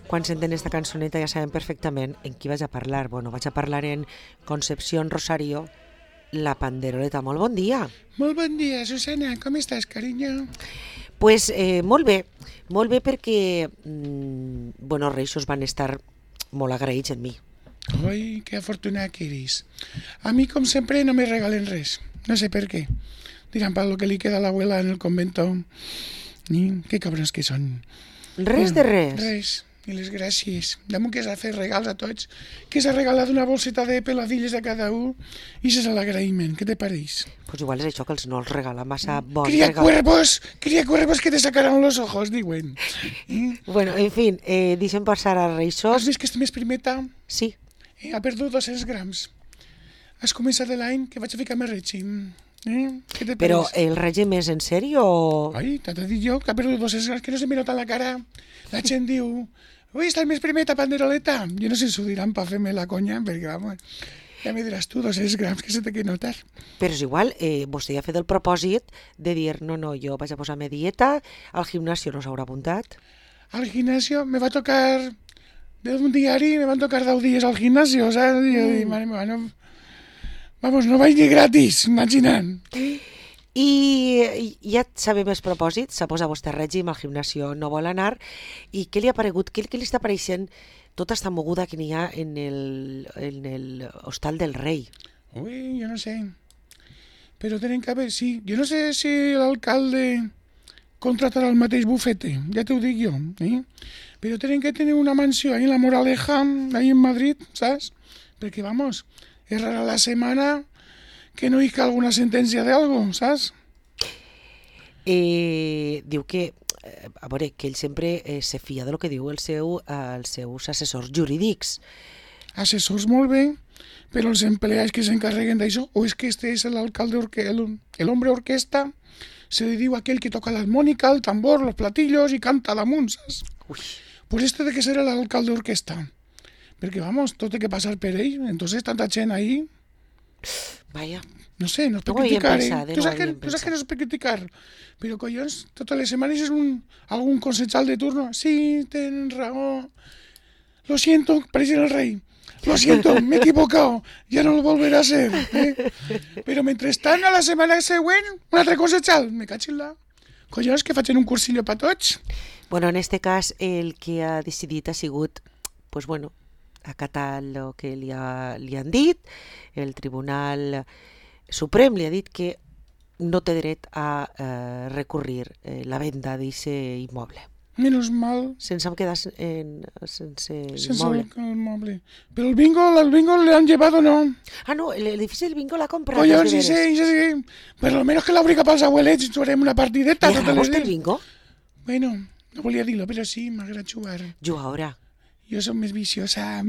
Quan senten esta cançoneta ja saben perfectament en qui vaig a parlar. Bueno, vaig a parlar en Concepción Rosario, la panderoleta. Molt bon dia. Molt bon dia, Susana. Com estàs, carinyo? Pues molt bé perquè bueno, els Reixos van estar molt agraïts en mi. Oi, que afortunat que eres. A mi, com sempre, no me regalen res. No sé per què. Diran para lo que li queda a l'abuela en el convento. Qué cabrones que són. Res de res. Res. I les gràcies. Damunt que s'ha fet regals a tots, que s'ha regalat una bolseta de peladilles a cada un, i és l'agraïment. Què te pareix? Pues igual és això que els no els regala massa bon Cría regal. cuervos que te sacaran los ojos, diuen. Bueno, en fin, deixem passar a Has Reixos. vist que este mes primeta Sí. ha perdut 200 grams. Has començat l'any que vaig a ficar més règim. Què te Però pareix? el règim és en sèrio o... Ai, t'ha dit jo que ha perdut 200 grams, que no se me nota la cara. La gent diu, ui, està el mes primeta, panderoleta. Jo no sé si ho diran per fer-me la conya, perquè, vamos, ja me diràs tu, 200 grams, que se té que notar. Però és igual, vostè ja ha fet el propòsit de dir, no, jo vaig a posar-me dieta, al gimnasio no s'haurà apuntat. Al gimnasio me va tocar, d'un diari, me van tocar 10 dies al gimnasio, saps? I jo dic, mare meva, no... Vamos, no vaig ni gratis, imagina't. I ja sabem els propòsits, s'ha posat vostè règim, al gimnasio no vol anar, i què li ha paregut, què li està apareixent tota esta moguda que n'hi ha en el Hostal del Rei? Ui, jo no sé. Però tenen que haver, sí. Jo no sé si l'alcalde contratarà el mateix bufete, ja t'ho dic jo. Però tenen que tenir una mansió ahí en la Moraleja, ahí en Madrid, saps? Perquè, vamos, és rara la setmana que no hi ha alguna sentència d'algo, saps? Diu que, a veure, que ell sempre se fia de lo que diu els seus assessors jurídics. Assessors molt bé, però els empleats que s'encarreguen d'això, o és que este és l'alcalde, el hombre orquesta, se li diu aquell que toca l'harmònica, el tambor, los platillos i canta damunt, saps? Ui. Pues este de que serà l'alcalde orquesta. Perquè, vamos, tot té que passar per ell, entonces tanta gent ahí... Vaya. No sé, no es per No ho havíem criticar, pensat, Tu saps que pensat. no és per criticar, però collons, totes les setmanes és algun consejal de turno. Sí, tenen raó. Lo siento, president el rei. Lo siento, m'he equivocado. Ja no lo volveré a hacer. Però mentrestant, a la setmana següent, un altre consejal. Me caig en la... Collons, que facin un cursillo per tots. Bueno, en este cas, el que ha decidit ha sigut, pues bueno, acatar el que li han dit. El Tribunal Suprem li ha dit que no té dret a recurrir la venda d'aquest immoble. Menos mal. Sense quedar sense immoble. El moble. Però el bingo le han llevado, ¿no? Ah, no, el edifici del bingo l'ha comprat. Collons, sí. Per lo menos que l'obriga pels abuelets, jugarem una partideta. Li agrada vostè el bingo? Bueno, no volia dir-lo, però sí, m'agrada jugar. Jugadora. Jo som més viciosa.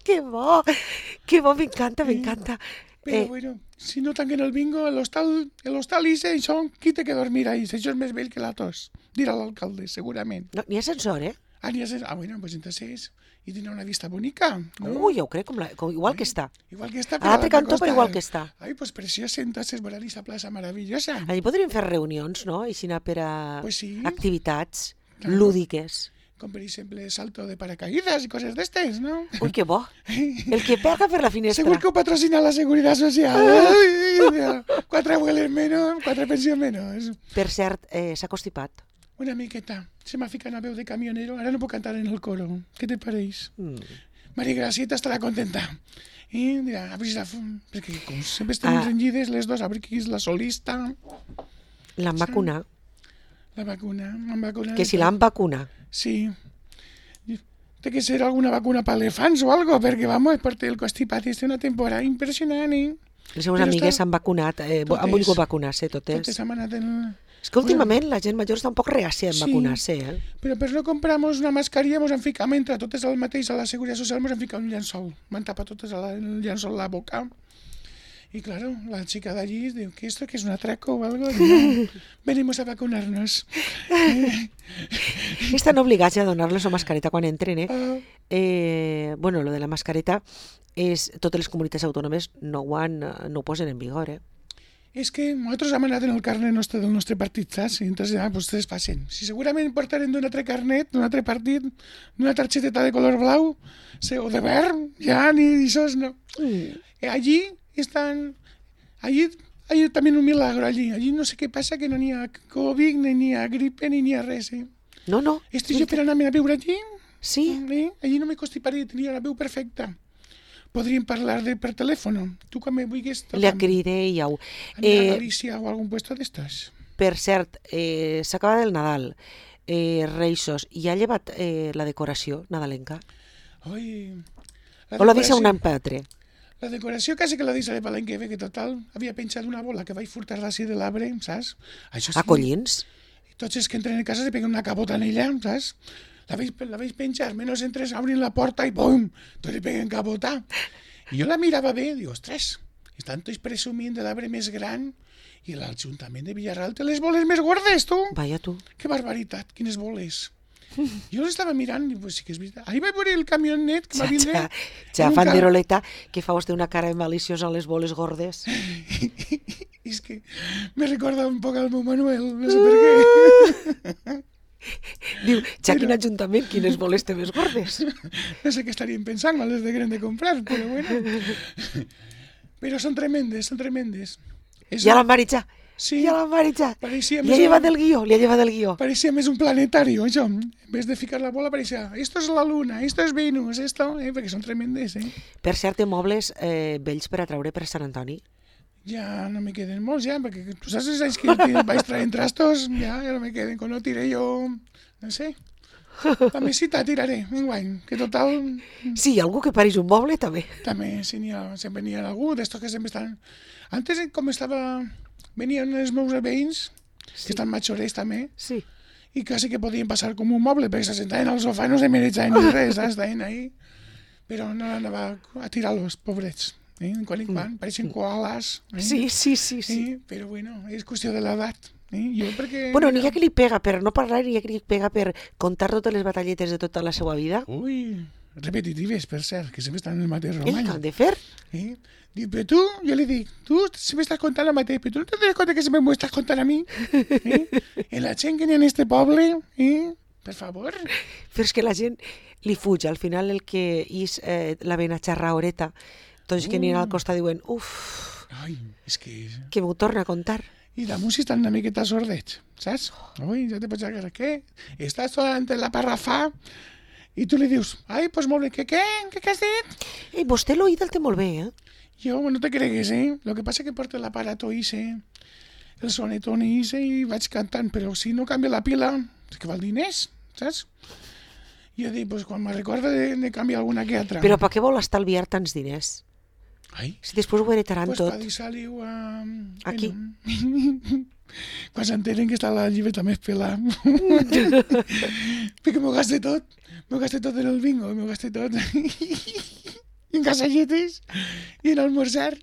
Que bo, m'encanta. Però bueno, si no tanquen el bingo, l'hostal Ise, això, qui té que dormir ahí? Això és més vell que la tos. Dirà l'alcalde, segurament. No, n'hi ha ascensor, Bueno, pues entonces, y tiene una vista bonica, ¿no? Ui, jo ho crec, igual que està. Igual que està. A l'altre cantó, però igual que està. Ai, pues preciosa, entonces, veurà esa plaça maravillosa. Allí podríem fer reunions, no? Així anar per a Pues sí. activitats Claro. lúdiques. Com per exemple salto de paracaídas i coses d'estes, no? Ui, que bo. El que pega per la finestra. Segur que ho patrocina la Seguridad Social. Ai, 4 abuelos menos, 4 pensions menos. Per cert, s'ha constipat. Una miqueta. Se m'ha ficat una veu de camionero. Ara no puc cantar en el coro. Què te pareix? Maria Gracieta estarà contenta. I dirà, a veure si perquè com sempre estem renyides les dues, a veure qui és la solista. L'han vacunat. La vacuna, m'han vacunat. Que si l'han vacunat. Sí. Té que ser alguna vacuna per elefants o algo, perquè, vamos, perquè el constipat és una temporada impressionant, Les seves amigues s'han vacunat, han volgut vacunar-se totes. Totes han anat en... És que últimament la gent major està un poc reàcia en vacunar-se, Però per no compramos una mascarilla ens han ficat, mentre totes al mateix a la Seguretat Social, ens han ficat un llençol. M'han tapat totes el llençol la boca. Y claro, la chica de allí dice, ¿qué esto? ¿Que es un atraco o algo? No, venimos a vacunarnos. Estan obligats a donar-los la mascareta quan entren, Bueno, lo de la mascareta és totes les comunitats autònomes no ho posen en vigor, És que nosaltres hem anat en el carnet nostre del nostre partit, saps? I entonces ja, pues, ustedes passen. Si segurament portarem d'un altre carnet, d'un altre partit, d'una targeteta de color blau, o de verd, ja, ni això no. Allí están... Allí también un milagro, allí no sé què passa, que no n'hi ha Covid, ni n'hi ha gripe, ni n'hi ha res, eh? No. Estic jo per anar a viure allí? Sí. Allí no me constiparia, tenia la veu perfecta. Podríem parlar per telèfon. Tu quan me vulguis... Li acridéieu. Anar a Galícia o algun puesto d'estos. Per cert, s'acaba el Nadal, Reixos, i ha llevat la decoració nadalenca? Oi... O la deixa un any per altre? La decoració quasi que la deixaré per l'any que ve, que total havia penjat una bola que vaig furtar d'ací de l'arbre, saps? Això sí, A collins? tots els que entren a casa se peguen una cabota en ella, saps? La veig penjar, menys entres, obrin la porta i bum, tots li peguen cabota. I jo la mirava bé, dic, ostres, estan tots presumint de l'arbre més gran i l'Ajuntament de Villarreal té les boles més gordes, tu. Vaya tu. Que barbaritat, quines boles. Jo l'estava mirant i pues sí que és veritat. Ahir vaig veure el camionet que va vindre... Ja, fanderoleta, que fa vostè una cara maliciosa a les boles gordes. És que me recorda un poc al meu Manuel, no sé per què. Diu, ja quin ajuntament, quines boles té més gordes. No sé què estaríem pensant quan les degueren de comprar, però bueno. Però són tremendes, són tremendes. Ja l'han maritjat. Sí, ja l'han maritjat. Parecía li ha llevat el guió, Parecía més un planetario, això. En vez de ficar la bola, parecía, esto es la luna, esto es Venus, esto... perquè són tremendes, eh? Per cert, té mobles vells per a traure per Sant Antoni? Ja no me queden molts, ja, perquè tu saps els anys que vaig traient trastos, ja no me queden. Quan no tiré jo, no sé, la mesita tiraré, enguany, que total... Sí, algú que pareix un moble, també. També, sí, sempre n'hi ha algú d'estos que sempre estan... Antes, com estava... Venien els meus veïns, que estan majorets també, sí. I quasi que podien passar com un moble, perquè se sentaven al sofà i no se mereixaven ni res, estaven ahí. Però no anava a tirar-los, pobrets. Quan en quan, pareixen koalas. Sí. Però bueno, és qüestió de l'edat. Jo perquè... Bueno, n'hi ha que li pega per no parlar, n'hi ha que li pega per contar totes les batalletes de tota la seva vida. Ui, repetitives, per cert, que sempre estan en el mateix romany. Què han de fer? Dic, però tu, jo li dic, tu sempre estàs contant el mateix, però tu no te dones compte que sempre m'ho estàs contant a mi? En la gent que n'hi ha en este poble, per favor. Però és que la gent li fuig, al final el que és la vena xarraoreta, tots que n'hi ha al costat diuen, Ai, és que m'ho torna a contar. I damunt si estan una miqueta sordets, saps? Ui, ja te pots agarrar, què? Estàs ante la parrafà i tu li dius, ai, pues molt bé, què has dit? Vostè l'oïda el té molt bé, Jo, no te cregues, Lo que passa que porto l'aparato ese, el sonetón ese, i vaig cantant, però si no canvia la pila, és que val diners, saps? Jo dic, pues quan me recorda de canviar alguna que altra. Però per què vol estalviar tants diners? Ai. Si després ho heretaran tot. tot. Pues per deixar-li-ho a... Aquí. Quan s'enteren que està la llibreta més pelada. Perquè m'ho gaste tot. M'ho gaste tot en el bingo, m'ho gaste tot. I en casalletes, i en almorzar.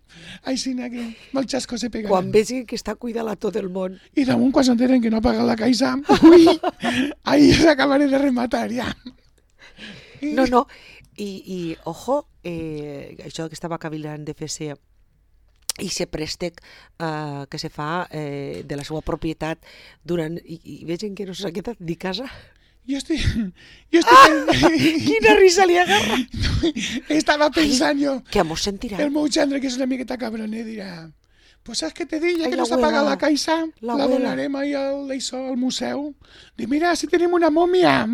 Així que mal xasco se pegaran. Quan vegin que està cuidant a tot el món. I damunt, quan s'enteren que no ha pagat la caixa, ui, ahí s'acabaré de rematar, ja. No, i ojo, això que estava cavilant de fer-se i se préstec que se fa de la seva propietat durant... I vegin que no s'ha quedat ni casa. Jo estic... Quina risa li agarra! Estava pensant jo... Que mos sentirà. El meu gendre, que és una miqueta cabroner, dirà... Pues saps què te dic? Ja que no s'ha pagat la caixa, la donarem ahí al museu. Dic, mira, si tenim una mòmia.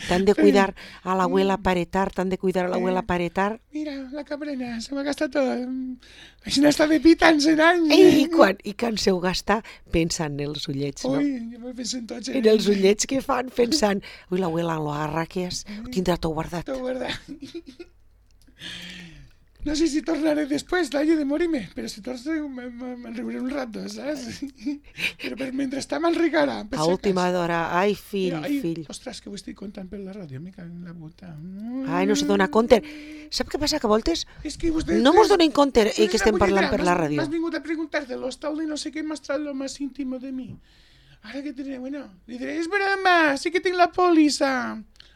T'han de cuidar a l'abuela paretar, paretar. Mira, la cabrena, se m'ha gastat tot. Així n'està de pita anys en anys. I quan se ho gasta, pensa en els ullets, no? Ui, jo me penso en tots. En els ullets que fan, pensant, ui, l'abuela lo agarra que és, ho tindrà tot guardat. Tot guardat. No sé si tornaré després d'allò de morir-me, però si torno me'n riuré un rato, saps? Però mentrestant m'enricarà. A última d'hora, ai, fill. Ostres, que ho estic contant per la ràdio, me cago en la puta. Ai, no se dona compte. Sap què passa, que a voltes vostè, no mos donem compte que estem parlant per la ràdio. M'has vingut a preguntar de l'hostal de no sé què m'has tret lo más íntimo de mi. Ara que tindré, bueno, li diré, és broma, sí que tinc la pòlissa.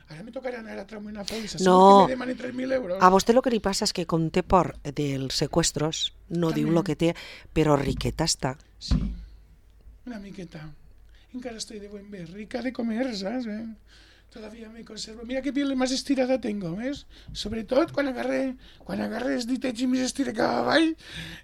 Ara me tocarà anar a traure una pòlissa. No. Segur que me demanen 3.000 euros. A vostè el que li passa és que com té por dels secuestros, no També. diu el que té, però riqueta està. Sí, una miqueta. Encara estoy de buen ver, rica de comer, ¿sabes? Todavía me conservo. Mira qué piel más estirada tengo, ¿ves? Sobretot quan agarre els ditets i més estira cap avall,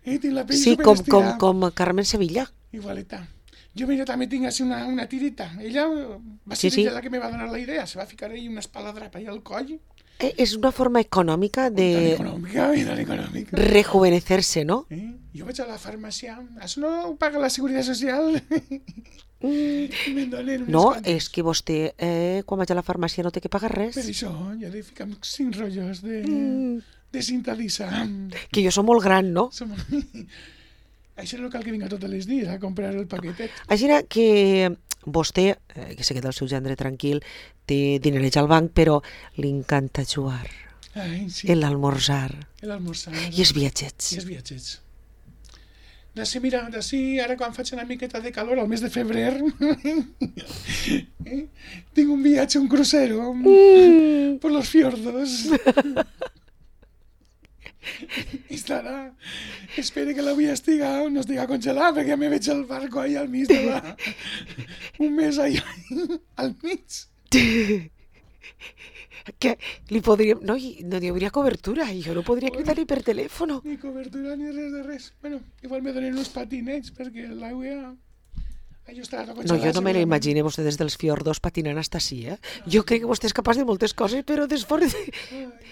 tinc la pell Sí, superestirada. com Carmen Sevilla. Igualeta. Jo, mira, també tinc així una tirita. Ella va ser Sí. ella la que me va donar la idea. Se va ficar ahí una espaladrapa ahí al coll. És una forma econòmica Tan de econòmica, i tan econòmica. rejuvenecerse, no? Jo vaig a la farmàcia. Això no ho paga la Seguretat Social? I me'n donen unes No, quantes. és que vostè, quan vaig a la farmàcia, no té que pagar res. Per això, ja he de ficar 5 rotllos de cinta lisa. Que jo som molt gran, no? Som... Això no cal que vinga tots els dies a comprar el paquetet. Així que vostè, que se queda el seu gendre tranquil, té dinerets al banc, però li encanta jugar, Ai, sí. l'almorzar L'almorzar. i els viatgets. I els viatgets. D'ací, mira, ara quan faig una miqueta de calor, al mes de febrer, tinc un viatge, un crucero, por los fiordos. I estarà, espero que l'avui no estiga congelat, perquè ja me veig el barco ahí al mig de la... un mes ahí al mig. Que li podríem... No hi hauria cobertura, jo no podria cridar ni per telèfon. Ni cobertura ni res de res. Bueno, igual me donen uns patinets, perquè l'aigua... Allò estarà tot No, congelat. jo no me l'imagino vostè des dels fiordos patinant hasta així, eh? Jo crec que vostè és capaç de moltes coses, però desfordos...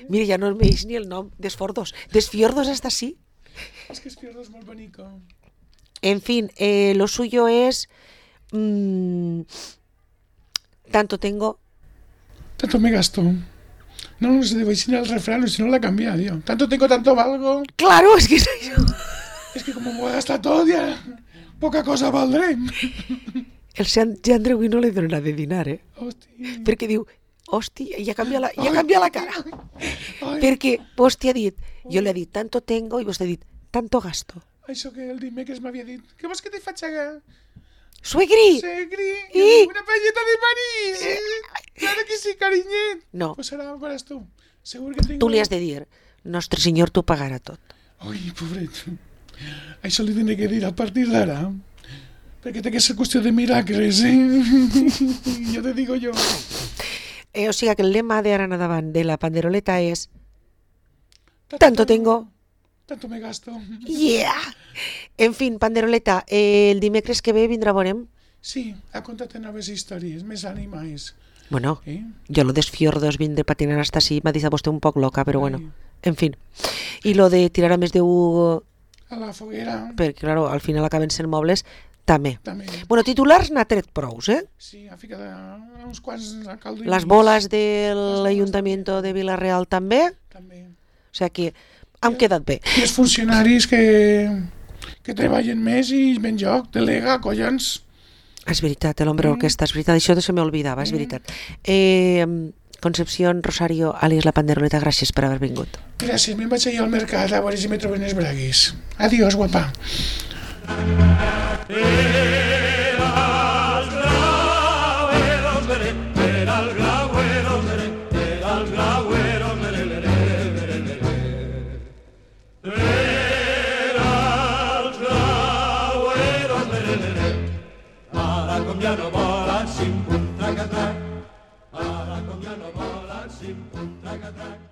Mira, ja no em veig ni el nom, desfordos. Desfiordos hasta així. És que es fiordo és molt bonico. En fin, lo suyo es... tanto tengo... Tanto me gasto. No se debe decir el refrán, si no la cambia, tío. Tanto tengo, tanto valgo. Claro, es que soy yo. Es que como me voy a gastar todo, ya poca cosa valdré. El Sant Gendre avui no li donarà de dinar, eh? Hòstia. Perquè diu, hòstia, ja canvia la cara. Ai, Perquè vostè ha dit, jo li he dit, tanto tengo, i vostè ha dit, tanto gasto. això que el dimecres m'havia dit. Què vols que te faig a... Suegri! Segri, I- una paelleta de París. Claro que sí, cariñet. No, Pues ara faràs tu. Segur que tinc... tu li has de dir, Nostre Senyor t'ho pagarà tot. Ai, pobret. Això li tindré que dir a partir d'ara. Perquè té que ser qüestió de miracles, Jo te digo jo. O sigui que el lema d'ara en endavant de la panderoleta és tanto tengo, Tanto me gasto. yeah! En fin, panderoleta, el dimecres que ve vindrà a veurem. Sí, ha contat noves històries, més ànimes. Bueno, Eh? jo lo dels fiordos vindre patinant hasta així m'ha dit a vostè un poc loca, però bueno, Ai. en fin. I lo de tirar a més de un... A la foguera, perquè, claro, al final acaben sent mobles, també. també. Bueno, titulars n'ha tret prous, eh? Sí, ha ficat uns quants a caldo i Les mig. boles del Ayuntamiento de Vila-real també, També. o sigui que han quedat bé. I els funcionaris que treballen més i ben joc, delega, collons. És veritat, l'Hombre Orquesta, és veritat, això se m'oblidava, és veritat. Concepción Rosario, àlies la Panderoleta, gràcies per haver vingut. Gràcies, me'n vaig ir al mercat a veure si me troben els braguis. Adiós, guapa. Ara com ja no volen, sim, pum, trac, ara com ja no volen, sim, pum, trac,